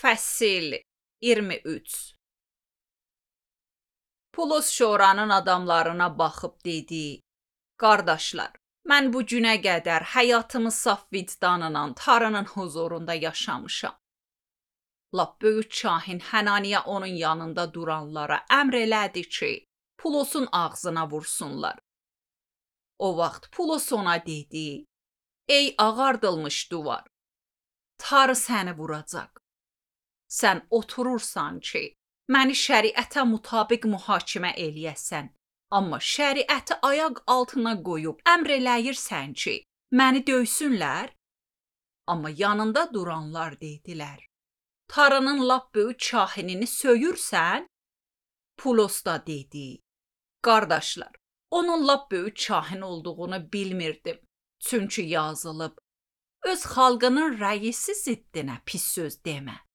Fəsil 23. Pulos şoranın adamlarına baxıb dedi: Qardaşlar, mən bu günə qədər həyatımı saf vicdanla Tanrının huzurunda yaşamışam. Lap böyük kahin Hənaniya onun yanında duranlara əmr elədi ki, Pulosun ağzına vursunlar. O vaxt Pulos ona dedi: Ey ağardılmış duvar, Tanrı səni vuracaq. Sən oturursan ki, məni şəriətə mütabiq mühakimə eləyəsən, amma şəriəti ayaq altına qoyub əmr eləyirsən ki, məni döysünlər? Amma yanında duranlar dedilər: Tanrının lap böyük kahinini söyürsən? Pulos da dedi: Qardaşlar, onun lap böyük kahin olduğunu bilmirdim. Çünki yazılıb: Öz xalqının rəisi ziddinə pis söz demə.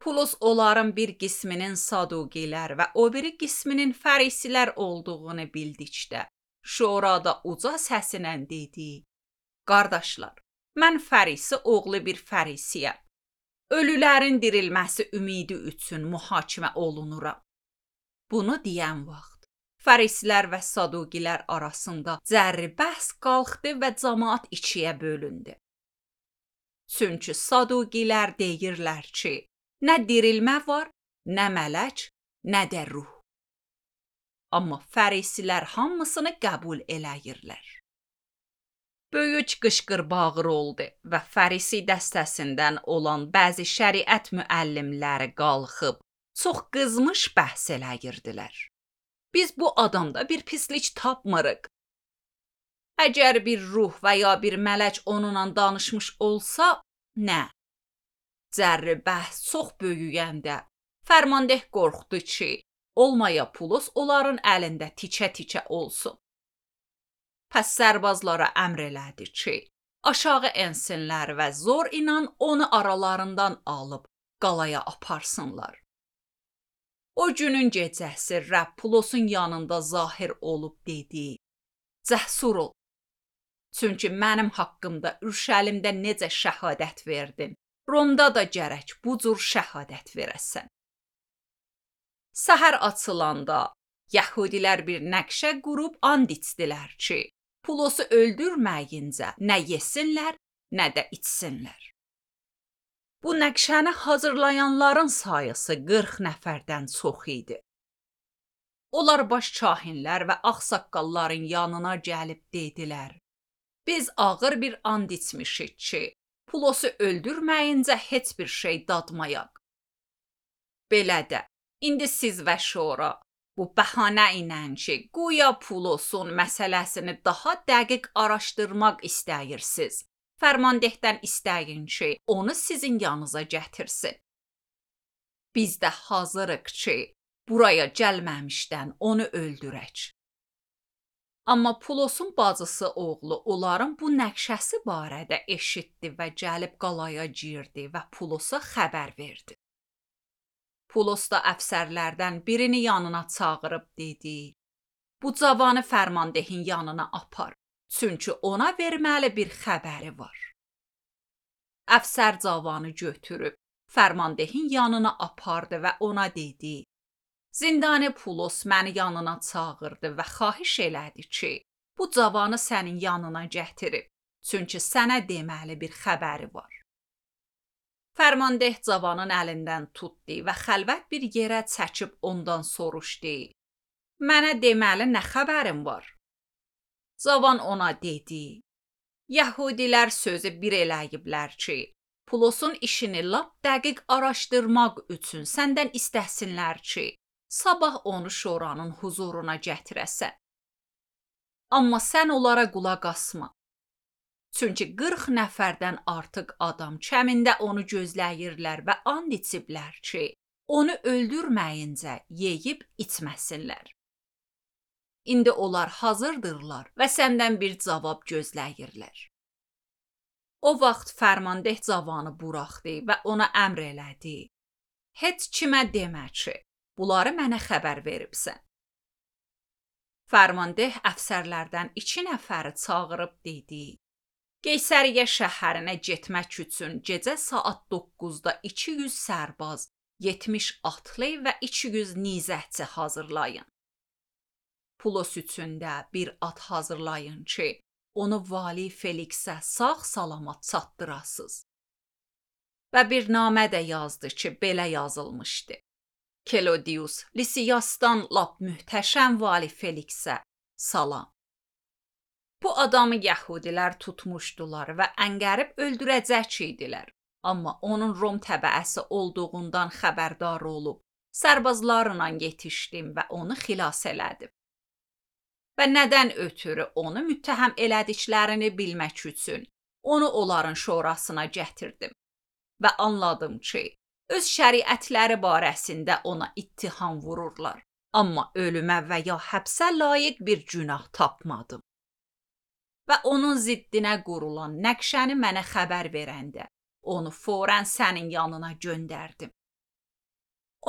Pulos onların bir qisminin Saduqilər və o biri qisminin Fərisilər olduğunu bildikdə, şurada uca səsinə dedi: Qardaşlar, mən Fərisi oğlu bir Fərisiyəm. Ölülərin dirilməsi ümidi üçün mühakimə olunuram. Bunu deyən vaxt Fərisilər və Saduqilər arasında cərri bəhs qalxdı və cəmaət ikiyə bölündü. Çünki Saduqilər deyirlər ki, nə dirilmə var, nə mələk, nə də ruh. Amma Fərisilər hamısını qəbul eləyirlər. Böyük qışqır-bağır oldu və Fərisi dəstəsindən olan bəzi şəriət müəllimləri qalxıb çox qızmış bəhs eləyirdilər. Biz bu adamda bir pislik tapmırıq. Əgər bir ruh və ya bir mələk onunla danışmış olsa, nə? Cərri bəhs çox böyüyəndə fərmandeh qorxdu ki, olmaya Pulos onların əlində tikə-tikə olsun. Pəs sərbazlara əmr elədi ki, aşağı ensinlər və zor inan onu aralarından alıb qalaya aparsınlar. O günün gecəsi Rəbb Pulosun yanında zahir olub dedi: Cəsur ol. Çünki mənim haqqımda Ürşəlimdə necə şəhadət verdin, Romda da gərək bu cür şəhadət verəsən. Səhər açılanda Yəhudilər bir nəqşə qurub and içdilər ki, Pulosu öldürməyincə nə yesinlər, nə də içsinlər. Bu nəqşəni hazırlayanların sayısı 40 nəfərdən çox idi. Onlar baş kahinlər və ağsaqqalların yanına gəlib dedilər: Biz ağır bir and içmişik ki, Pulosu öldürməyincə heç bir şey dadmayaq. Belə də, indi siz və şura bu bəhanə ilə ki, guya Pulosun məsələsini daha dəqiq araşdırmaq istəyirsiniz, fərmandehdən istəyin ki, onu sizin yanınıza gətirsin. Biz də hazırıq ki, buraya gəlməmişdən onu öldürək. Amma Pulosun bacısı oğlu onların bu nəqşəsi barədə eşitdi və gəlib qalaya girdi və Pulosa xəbər verdi. Pulos da əfsərlərdən birini yanına çağırıb dedi: Bu cavanı fərmandehin yanına apar, çünki ona verməli bir xəbəri var. Əfsər cavanı götürüb fərmandehin yanına apardı və ona dedi: Zindani Pulos məni yanına çağırdı və xahiş elədi ki, bu cavanı sənin yanına gətirib, çünki sənə deməli bir xəbəri var. Fərmandeh cavanın əlindən tutdu və xəlvət bir yerə çəkib ondan soruşdu: Mənə deməli nə xəbərin var? Cavan ona dedi: Yəhudilər sözü bir eləyiblər ki, Pulosun işini lap dəqiq araşdırmaq üçün səndən istəsinlər ki, sabah onu şoranın huzuruna gətirəsən. Amma sən onlara qulaq asma. Çünki 40 nəfərdən artıq adam kəmində onu gözləyirlər və and içiblər ki, onu öldürməyincə yeyib içməsinlər. İndi onlar hazırdırlar və səndən bir cavab gözləyirlər. O vaxt fərmandeh cavanı buraxdı və ona əmr elədi: Heç kimə demə ki, bunları mənə xəbər veribsən. Fərmandeh əfsərlərdən 2 nəfəri çağırıb dedi: Qeysəriyyə şəhərinə getmək üçün gecə saat 9-da 200 sərbaz, 70 atlı və 200 nizəçi hazırlayın. Pulos üçün də bir at hazırlayın ki, onu vali Feliksə sağ-salamat çatdırasız. Və bir namə də yazdı ki, belə yazılmışdı. Kelodius Lisiyasdan lap möhtəşəm vali Feliksə salam. Bu adamı yəhudilər tutmuşdular və əngərib öldürəcək idilər. Amma onun Rom təbəəsi olduğundan xəbərdar olub, sərbazlarla yetişdim və onu xilas elədim. Və nədən ötürü onu müttəhəm elədiklərini bilmək üçün onu onların şurasına gətirdim. Və anladım ki, öz şəriətləri barəsində ona ittiham vururlar. Amma ölümə və ya həbsə layiq bir günah tapmadım. Və onun ziddinə qurulan nəqşəni mənə xəbər verəndə, onu fौरən sənin yanına göndərdim.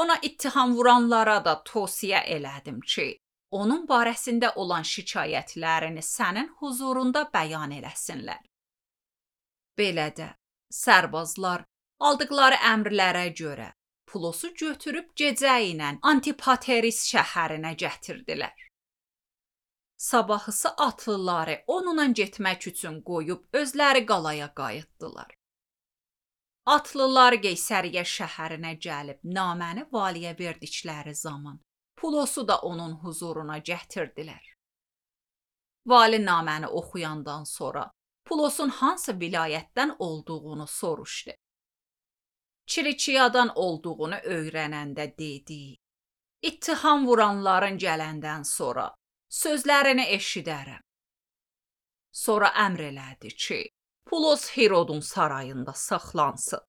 Ona ittiham vuranlara da tövsiyə elədim ki, onun barəsində olan şikayətlərini sənin huzurunda bəyan eləsinlər. Belə də sərbazlar aldıqları əmrlərə görə Pulosu götürüb gecə ilə Antipateris şəhərinə gətirdilər. Sabahısı atlıları onunla getmək üçün qoyub özləri qalaya qayıtdılar. Atlılar Qeysəriyyə şəhərinə gəlib naməni valiyə verdikləri zaman Pulosu da onun huzuruna gətirdilər. Vali naməni oxuyandan sonra Pulosun hansı vilayətdən olduğunu soruşdu. Kilikiyadan olduğunu öyrənəndə dedi, ittiham vuranların gələndən sonra sözlərini eşidərəm. Sonra əmr elədi ki, Pulos Herodun sarayında saxlansın.